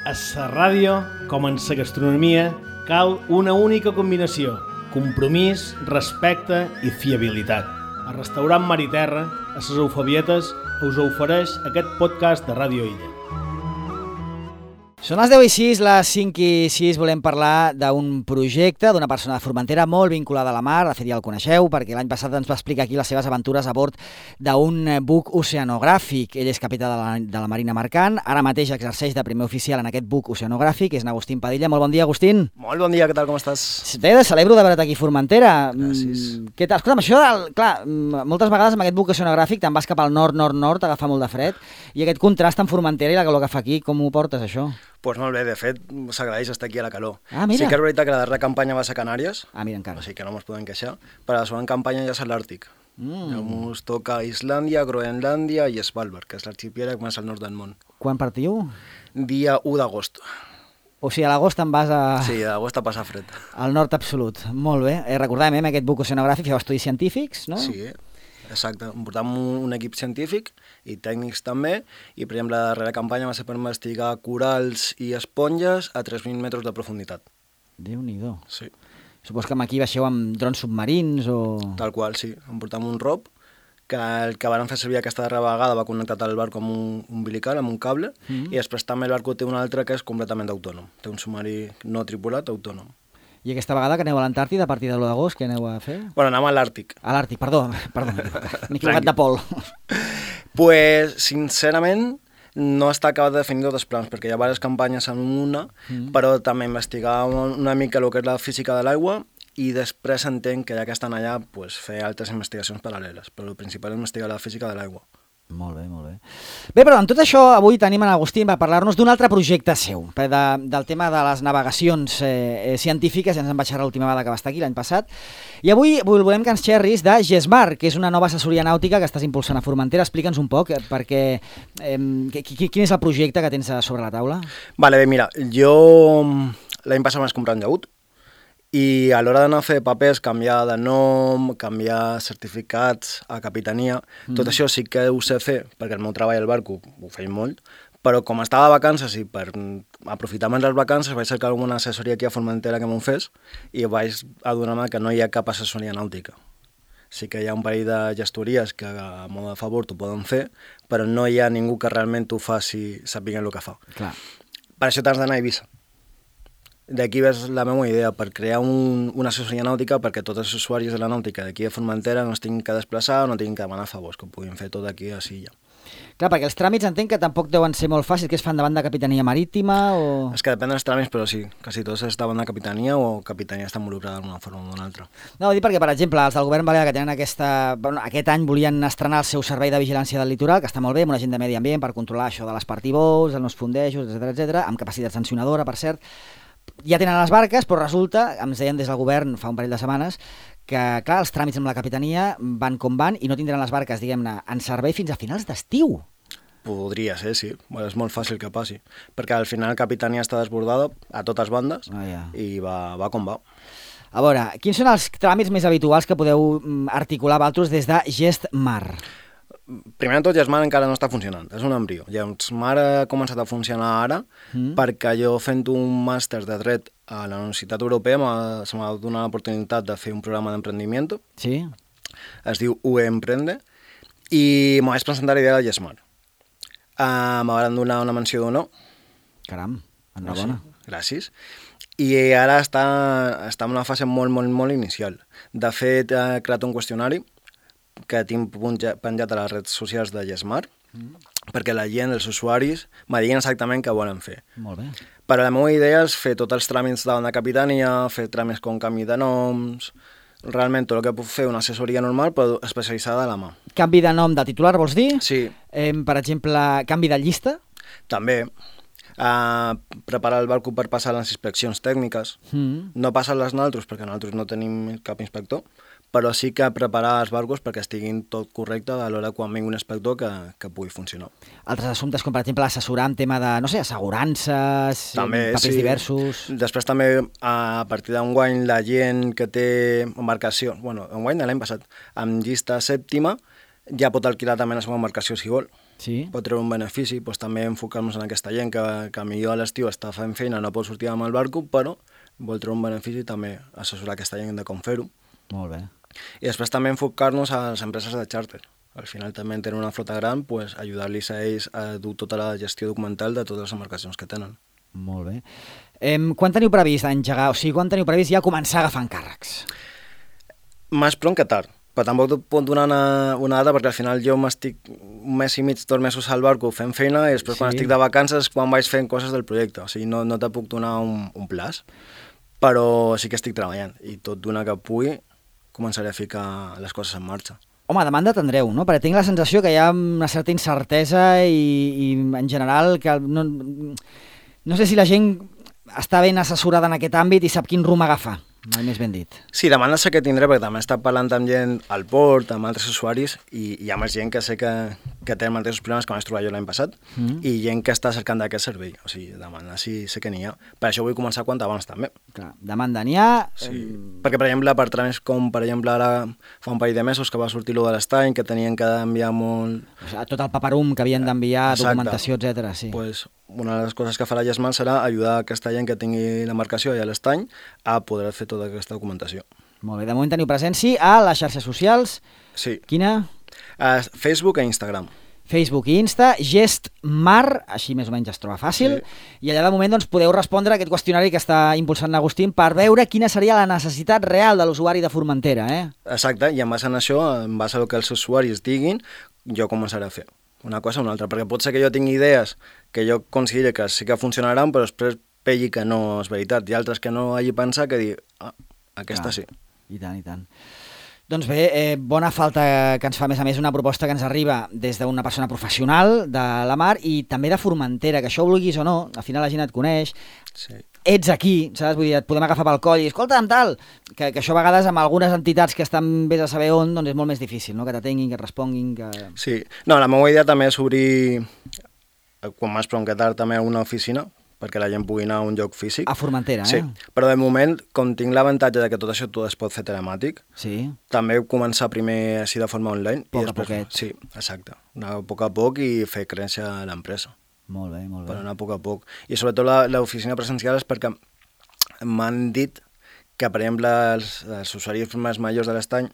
A la ràdio, com en la gastronomia, cal una única combinació: compromís, respecte i fiabilitat. El restaurant Mar i Terra, a les Eufebietes, us ofereix aquest podcast de Ràdio Illa. Són les 10:06, les 5:06, volem parlar d'un projecte d'una persona de Formentera molt vinculada a la mar. De fet, ja el coneixeu, perquè l'any passat ens va explicar aquí les seves aventures a bord d'un buc oceanogràfic. Ell és capità de la Marina Mercant, ara mateix exerceix de primer oficial en aquest buc oceanogràfic, és Agustín Padilla. Molt bon dia, Agustín. Molt bon dia, què tal, com estàs? Bé, celebro de veure't aquí a Formentera. Gràcies. Què tal? Escolta'm, això, clar, moltes vegades amb aquest buc oceanogràfic te'n vas cap al nord-nord-nord, t'agafa molt de fred, i aquest contrast amb Formentera i la calor que fa aquí, com ho portes, això? Doncs molt bé, de fet, s'agraeix estar aquí a la calor. Ah, mira. Sí que és veritat que la darrera campanya va ser a Canàries, Ah, mira, encara. o sigui que no ens podem queixar, però la següent campanya ja és a l'Àrtic. Ens toca Islàndia, Groenlàndia i Svalbard, que és l'arxipèlag més al nord del món. Quan partiu? Dia 1 d'agost. O sigui, a l'agost te'n vas Sí, d'agost a passar fred. al nord absolut. Molt bé. Recordàvem, amb aquest buc oceanogràfic feu estudis científics, no? Sí, exacte. Portam un equip científic i tècnics també, i per exemple la darrera campanya va ser per investigar corals i esponges a 3.000 metres de profunditat. Déu-n'hi-do. Sí. Supos que aquí baixeu amb drons submarins o... Tal qual, sí. Em portam un ROV, que el que van fer servir aquesta darrera vegada va connectat al barco amb un umbilical, amb un cable, i després també el barco té un altre que és completament autònom. Té un submarí no tripulat autònom. I aquesta vegada que aneu a l'Antàrtida a partir de l'1 d'agost, què aneu a fer? Bueno, anem a l'Àrtic. A l'Àrtic, perdó, m'he equivocat de pol. Pues, sincerament, no està acabat de definir tots els plans, perquè hi ha diverses campanyes en una, però també investigar una mica el que és la física de l'aigua, i després entenc que ja que estan allà, pues, fer altres investigacions paral·leles, però el principal és investigar la física de l'aigua. Molt bé, molt bé. Bé, però amb tot això avui tenim en Agustín per parlar-nos d'un altre projecte seu, del tema de les navegacions científiques. Ja ens en vaig xerrar l'última vegada que va estar aquí, l'any passat. I avui volem que ens xerris de GESMAR, que és una nova assessoria nàutica que estàs impulsant a Formentera. Explica'ns un poc, perquè quin és el projecte que tens sobre la taula? Vale, bé, mira, jo l'any passat vaig comprar un llaüt, i a l'hora d'anar a fer papers, canviar de nom, canviar certificats a capitania, tot això sí que ho sé fer, perquè el meu treball al barco ho feia molt, però com estava de vacances i per aprofitar més les vacances vaig cercar alguna assessoria aquí a Formentera que m'ho fes, i vaig adonar-me que no hi ha cap assessoria nàutica. Sí que hi ha un parell de gestories que a mode de favor t'ho poden fer, però no hi ha ningú que realment t'ho faci sapiguent el que fa. Clar. Per això t'has d'anar a Eivissa. D'aquí ves la meva idea, per crear una assessoria nàutica perquè tots els usuaris de la nàutica d'aquí a Formentera no es tinguin que desplaçar o no tinguin que demanar favors, que ho puguin fer tot aquí a Silla. Clar, perquè els tràmits entenc que tampoc deuen ser molt fàcils, que es fan davant de Capitania Marítima o... És que depèn dels tràmits, però sí, quasi tots estaven de capitania o capitania està involucrada d'una forma o d'una altra. No, ho dic perquè, per exemple, els del govern balear que tenen aquest any volien estrenar el seu servei de vigilància del litoral, que està molt bé, amb una gent de medi ambient per controlar això de les party-boats, els fondejos, etc, amb capacitat sancionadora, per cert. Ja tenen les barques, però resulta, ens deien des del govern fa un parell de setmanes, que, clar, els tràmits amb la capitania van com van i no tindran les barques, diguem-ne, en servei fins a finals d'estiu. Podria ser, sí. Bueno, és molt fàcil que passi, perquè al final capitania està desbordada a totes bandes i va com va. A veure, quins són els tràmits més habituals que podeu articular vosaltres des de GESMAR? Primer de tot, GESMAR encara no està funcionant, és un embrió. GESMAR ha començat a funcionar ara perquè jo fent un màster de dret a la Universitat Europea se m'ha donat l'oportunitat de fer un programa d'emprendiment. Sí? Es diu UE Emprende i m'ho vaig presentar l'idea de GESMAR. M'han donat una menció d'honor. Caram, enhorabona. Sí, gràcies. I ara està en una fase molt inicial. De fet, he creat un qüestionari que tinc penjat a les redes socials de GESMAR, perquè la gent, els usuaris, me diguin exactament què volen fer. Molt bé. Però la meva idea és fer tots els tràmits davant de capitania, fer tràmits com canvi de noms, realment tot el que puc fer una assessoria normal, però especialitzada a la mà. Canvi de nom de titular, vols dir? Sí. Per exemple, canvi de llista? També. Preparar el barco per passar les inspeccions tècniques. No passen les nosaltres, perquè nosaltres no tenim cap inspector, però sí que preparar els barcos perquè estiguin tot correcte a l'hora quan vingui un inspector que pugui funcionar. Altres assumptes, com per exemple assessorar en tema de, no sé, assegurances, també, papers diversos... Després també, a partir d'enguany, la gent que té embarcació, bueno, enguany de l'any passat, amb llista sèptima, ja pot alquilar també la seva embarcació si vol. Sí. pot treure un benefici, doncs també enfocar-nos en aquesta gent que millor a l'estiu està fent feina, no pot sortir amb el barco, però vol treure un benefici, també assessorar aquesta gent de com fer-ho. Molt bé. I després també enfocar-nos a les empreses de xàrter. Al final també tenen una flota gran, pues, ajudar-los a ells a dur tota la gestió documental de totes les embarcacions que tenen. Molt bé. Quan teniu previst engegar, o sigui, quan teniu previst ja començar a agafar encàrrecs? Més pront que tard, però tampoc et puc donar una data perquè al final jo m'estic un mes i mig, 2 mesos al barco fent feina i després quan estic de vacances quan vaig fent coses del projecte, o sigui, no te puc donar un plaç, però sí que estic treballant i tot d'una que pugui començaré a ficar les coses en marxa. Home, demanda tindreu, no? Perquè tinc la sensació que hi ha una certa incertesa i en general que no sé si la gent està ben assessorada en aquest àmbit i sap quin rumb agafar, mai més ben dit. Sí, demanda sé que tindré perquè també he estat parlant amb gent al port, amb altres usuaris i hi ha més gent que sé que té els mateixos problemes que vaig trobar jo l'any passat i gent que està cercant d'aquest servei, o sigui, demanda sí sé que n'hi ha. Per això vull començar quant abans també. Clar, demanda n'hi ha... Sí, perquè per exemple, per tràmits com per exemple ara fa un parell de mesos que va sortir lo de l'estany, que tenien que enviar molt... O sigui, tot el paperum que havien d'enviar, documentació, etc. Sí. Pues, una de les coses que farà Yesmal serà ajudar aquesta gent que tingui l'embarcació i a l'estany a poder fer tota aquesta documentació. Molt bé, de moment teniu presència a les xarxes socials. Sí. Quina? Facebook i Instagram. Facebook i Insta, Gestmar, així més o menys es troba fàcil, i allà de moment doncs, podeu respondre a aquest qüestionari que està impulsant Agustín per veure quina seria la necessitat real de l'usuari de Formentera. Exacte, i en base a això, en base al que els usuaris diguin, jo començaré a fer una cosa o una altra, perquè pot ser que jo tingui idees que jo consideri que sí que funcionaran, però després pelli que no és veritat, i altres que no hagi pensat que dir, aquesta sí. I tant, i tant. Doncs bé, bona falta que ens fa, a més una proposta que ens arriba des d'una persona professional de la mar i també de Formentera, que això ho vulguis o no, al final la gent et coneix, ets aquí, saps? Vull dir, et podem agafar pel coll i escolta'm, tal, que això a vegades amb algunes entitats que estan vés a saber on, doncs és molt més difícil, no? Que t'atenguin, que et responguin, que... Sí, no, la meva idea també és obrir, quan més pront que tard, també una oficina, perquè la gent pugui anar a un lloc físic. A Formentera, Sí, però de moment, com tinc l'avantatge de que tot això es pot fer telemàtic, també començar primer així de forma online. Poc a poquet. Sí, exacte. Anar a poc a poc i fer créixer l'empresa. Molt bé, molt bé. Per anar a poc a poc. I sobretot l'oficina presencial és perquè m'han dit que, per exemple, els usuaris més majors de l'estany,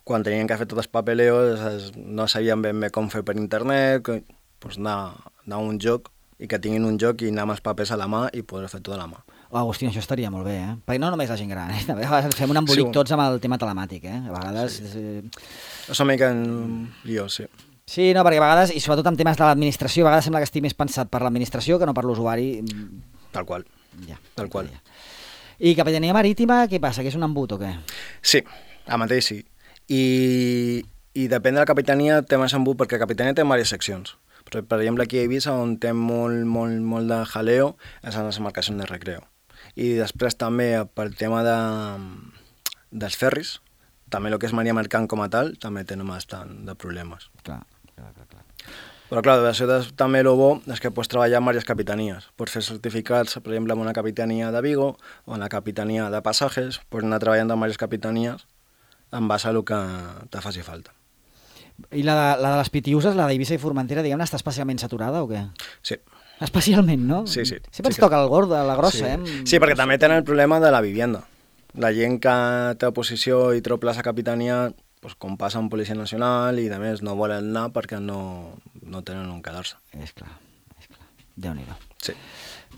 quan tenien que fer tots els papeleos, no sabien ben bé com fer per internet, doncs anar a un lloc i que tinguin un joc i anar amb els papers a la mà i poder fer tot a la mà. Agustín, això estaria molt bé, Perquè no només la gent gran, A vegades fem un embolic tots amb el tema telemàtic, A vegades... És una mica lío, sí. Sí, no, perquè a vegades, i sobretot en temes de l'administració, a vegades sembla que estigui més pensat per l'administració que no per l'usuari. Tal qual. Tal qual. I Capitania Marítima, què passa? Que és un embut o què? Sí, el mateix sí. I depèn de la capitania té més embut perquè la capitania té diverses seccions. Per exemple, aquí a Eivissa, on té molt de jaleo, és en les embarcacions de recreo. I després també, pel tema dels ferris, també el que és maria mercant com a tal, també tenen bastant de problemes. Clar. Però clar, això també el bo és que pots treballar amb diverses capitanies. Pots fer certificats, per exemple, en una capitania de Vigo o en la capitania de Passajes, pots anar treballant amb diverses capitanies en base a el que te faci falta. I la de les Pitiuses, la d'Eivissa i Formentera, diguem-ne, està especialment saturada o què? Sí. Especialment, no? Sí. Sempre ens toca el gordo, la grossa, Sí, perquè també tenen el problema de la vivienda. La gent que té oposició i treu plaça capitania, doncs, com passa en Policia Nacional i de més no volen anar perquè no tenen on quedar-se. És clar. Déu-n'hi-do. Sí.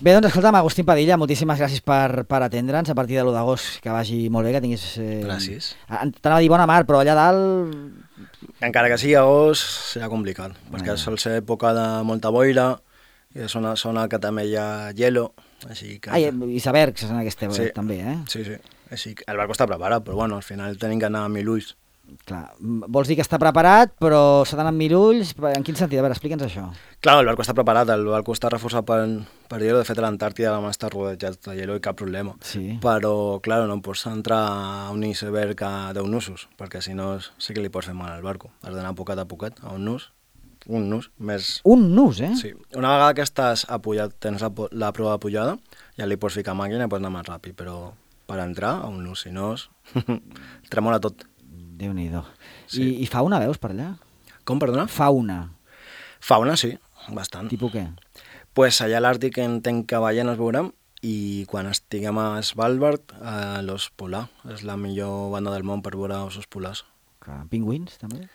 Bé, doncs escolta'm, Agustín Padilla, moltíssimes gràcies per atendre'ns a partir de l'1 d'agost, que vagi molt bé, que tinguis... Gràcies. T'anava a dir bona mar, però allà dalt... Encara que sigui agost, serà complicat, perquè sol ser època de molta boira, i és una zona que també hi ha hielo, així que... I icebergs en aquesta també, Sí. Així que el barco està preparat, però bueno, al final tenim que anar amb 1000 ulls. Clar, vols dir que està preparat, però s'ha d'anar amb 1000 ulls? En quin sentit? A veure, explica'ns això. Clar, el barco està preparat, el barco està reforçat per hielo, de fet a l'Antàrtida vam estar rodejat de hielo i cap problema. Sí. Però, clar, no pots entrar a un iceberg a 10 nusos, perquè si no sí que li pots fer mal al barco. Has d'anar poquet a poquet, a un nus més... Un nus, Sí. Una vegada que estàs apujat, tens la prova de pujada, ja li pots ficar màquina i pots anar més ràpid, però per entrar a un nus, si no, tremola tot. Déu-n'hi-do. Sí. I fauna veus per allà? Com, perdona? Fauna. Fauna, sí, bastant. Tipus què? Pues allà a l'Àrtic entenc que ballenes veurem i quan estiguem a Svalbard, l'os polar. És la millor banda del món per veure ossos polars. Pingüins, també?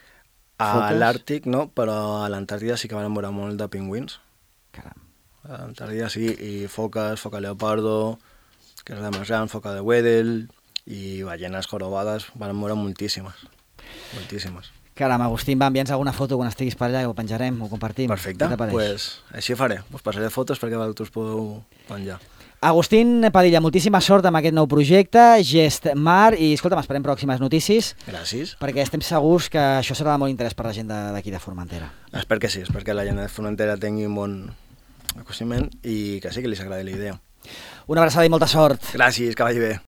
A Foques? l'Àrtic no, però a l'Antàrtida sí que van veure molt de pingüins. Caram. A l'Antàrtida sí, i foques, foca leopardo, que és la més gran, foca de Weddell, i ballenes jorobades, van veure moltíssimes. Moltíssimes. Caram, Agustín, va, envia'ns alguna foto quan estiguis per allà, ho penjarem, ho compartim. Perfecte, Què t'apareix? pues així faré. Us passaré fotos perquè vosaltres podeu penjar. Agustín Padilla, moltíssima sort amb aquest nou projecte, Gest Mar, i escolta'm, esperem pròximes notícies, Gràcies. perquè estem segurs que això serà de molt interès per la gent d'aquí de Formentera. Espero que sí, espero que la gent de Formentera tingui un bon acostament i que sí que li agradi la idea. Una abraçada i molta sort. Gràcies, que vagi bé.